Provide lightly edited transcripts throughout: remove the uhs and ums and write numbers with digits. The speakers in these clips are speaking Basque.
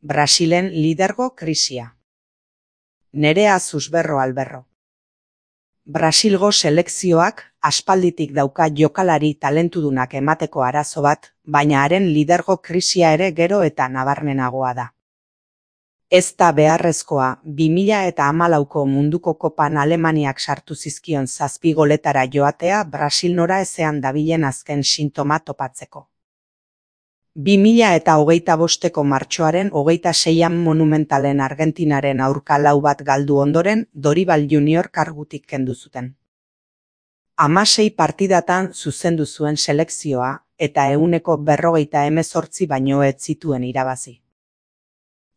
Brasilen lidergo krisia. Nerea Susberro Alberro. Brasilgo selekzioak aspalditik dauka jokalari talentudunak emateko arazo bat, baina haren lidergo krisia ere gero eta nabarmenagoa da. Ez da beharrezkoa 2014ko munduko kopan Alemaniak sartu zizkion 7 goletara joatea Brasil nora ezean dabilen azken sintoma topatzeko. 2025ko martxoaren 26an Monumentalen Argentinaren aurka 4 bat galdu ondoren Dorival Junior kargutik kendu zuten. 16 partidatan zuzendu zuen selekzioa eta 148 baino ez zituen irabazi.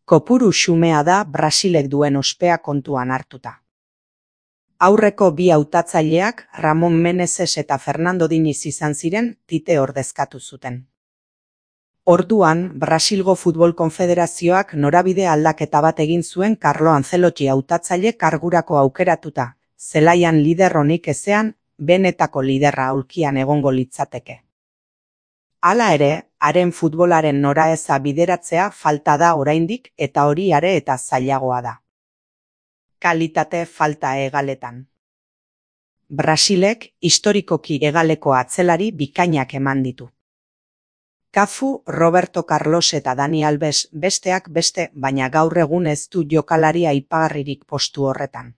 Kopuru xumea da Brasilek duen ospea kontuan hartuta. Aurreko bi hautatzaileak Ramon Meneses eta Fernando Diniz izan ziren Tite ordezkatu zuten. Orduan, Brasilgo Futbol Konfederazioak norabide aldaketa bat egin zuen Carlo Ancelotti hautatzaile kargurako aukeratuta, zelaian lider onik ezean, benetako liderra aulkian egongo litzateke. Hala ere, haren futbolaren noraeza bideratzea falta da oraindik eta hori are eta zailagoa da. Kalitate falta hegaletan. Brasilek historikoki hegaleko atzelari bikainak eman ditu. Cafu, Roberto Carlos eta Dani Alves besteak beste, baina gaur egun ez du jokalari aipagarririk postu horretan.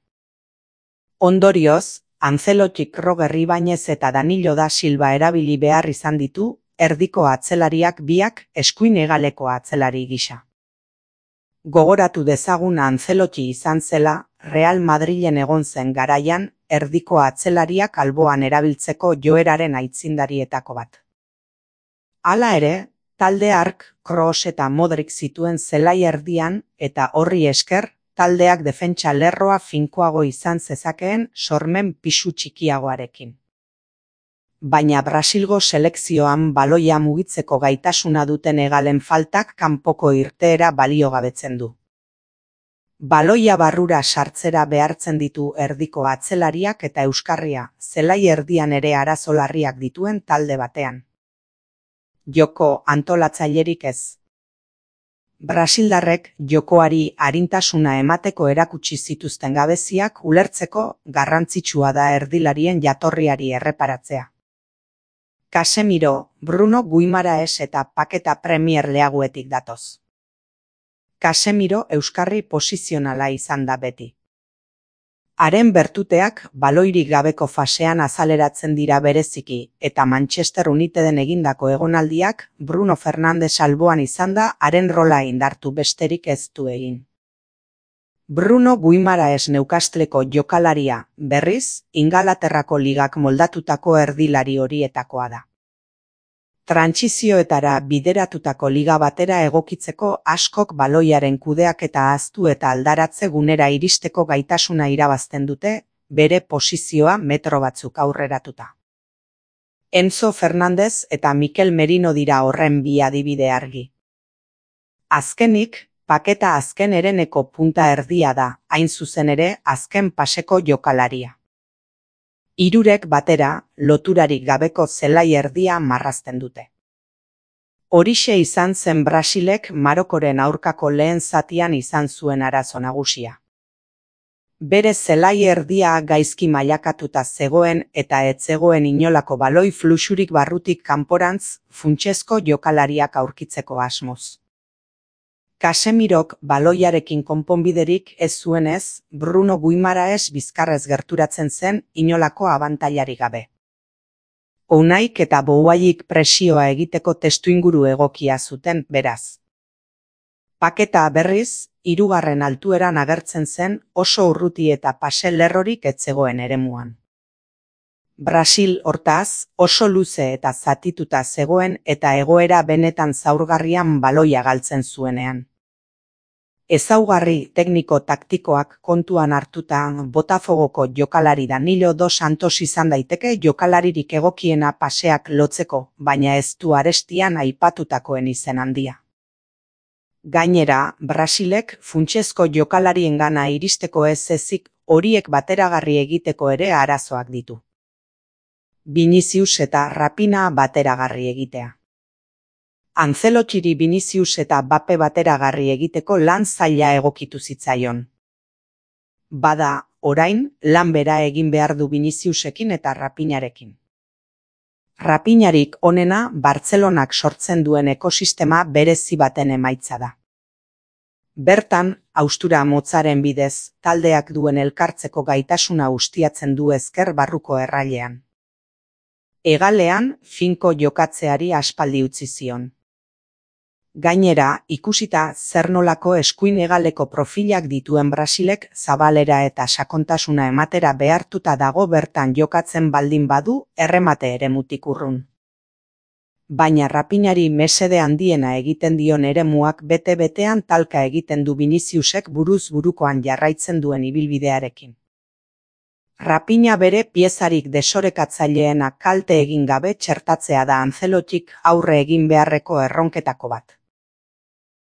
Ondorioz, Ancelottik Roger Ibañez eta Danilo da Silva erabili behar izan ditu, erdiko atzelariak biak eskuin hegaleko atzelari gisa. Gogoratu dezaguna Ancelotti izan zela, Real Madrilen egon zen garaian, erdiko atzelariak alboan erabiltzeko joeraren aitzindarietako bat. Hala ere, talde hark, Kroos eta Modric zituen zelai erdian eta horri esker, taldeak defentsa lerroa finkoago izan zezakeen sormen pisu txikiagoarekin. Baina Brasilgo selekzioan baloia mugitzeko gaitasuna duten hegalen faltak kanpoko irteera baliogabetzen du. Baloia barrura sartzera behartzen ditu erdiko atzelariak eta euskarria, zelai erdian ere arazo larriak dituen talde batean. Joko antolatzailerik ez. Brasildarrek jokoari arintasuna emateko erakutsi zituzten gabeziak ulertzeko garrantzitsua da erdilarien jatorriari erreparatzea. Casemiro, Bruno Guimaraes eta Paketa Premier Leaguetik datoz. Casemiro euskarri posizionala izan da beti. Haren bertuteak baloirik gabeko fasean azaleratzen dira bereziki eta Manchester Uniteden egindako egonaldiak Bruno Fernandes alboan izan da haren rola indartu besterik ez du egin. Bruno Guimaraes Newcastleko jokalaria, berriz, Ingalaterrako ligak moldatutako erdilari horietakoa da. Trantsizioetara bideratutako liga batera egokitzeko askok baloiaren kudeaketa ahaztu eta aldaratze gunera iristeko gaitasuna irabazten dute, bere posizioa metro batzuk aurreratuta. Enzo Fernandez eta Mikel Merino dira horren bi adibide argi. Azkenik, Paketa azken hereneko punta erdia da, hain zuzen ere azken paseko jokalaria. Hirurek batera, loturarik gabeko zelai erdia marrazten dute. Horixe izan zen Brasilek Marokoren aurkako lehen zatian izan zuen arazo nagusia. Bere zelai erdia gaizki mailakatuta zegoen eta ez zegoen inolako baloi fluxurik barrutik kanporantz funtsezko jokalariak aurkitzeko asmoz. Casemirok baloiarekin konponbiderik ez zuenez, Bruno Guimaraes bizkarrez gerturatzen zen inolako abantailarik gabe. Unaik eta Bouaik presioa egiteko testuinguru egokia zuten, beraz. Paketa berriz, 3. altueran agertzen zen oso urruti eta pase lerrorik ez zegoen eremuan. Brasil, hortaz, oso luze eta zatituta zegoen eta egoera benetan zaurgarrian baloia galtzen zuenean. Ezaugarri tekniko-taktikoak kontuan hartuta Botafogoko jokalari Danilo dos Santos izan daiteke jokalaririk egokiena paseak lotzeko, baina ez du arestian aipatutakoen izen handia. Gainera, Brasilek funtsezko jokalariengana iristeko ez ezik horiek bateragarri egiteko ere arazoak ditu. Vinicius eta Rapina bateragarri egitea. Ancelotiri Vinicius eta Mbappe bateragarri egiteko lan zaila egokitu zitzaion. Bada, orain, lan bera egin behar du Viniciusekin eta Rafinharekin. Rafinharik onena Bartzelonak sortzen duen ekosistema berezi baten emaitza da. Bertan, haustura motzaren bidez, taldeak duen elkartzeko gaitasuna ustiatzen du ezker barruko errailean. Hegalean, finko jokatzeari aspaldi utzi zion. Gainera, ikusita zer nolako eskuin hegaleko profilak dituen Brasilek zabalera eta sakontasuna ematera behartuta dago bertan jokatzen baldin badu erremate eremutik urrun. Baina Rafinhari mesede handiena egiten dion eremuak bete-betean talka egiten du Viniciusek buruz burukoan jarraitzen duen ibilbidearekin. Rafinha bere piezarik desorekatzaileena kalte egin gabe txertatzea da Ancelotik aurre egin beharreko erronketako bat.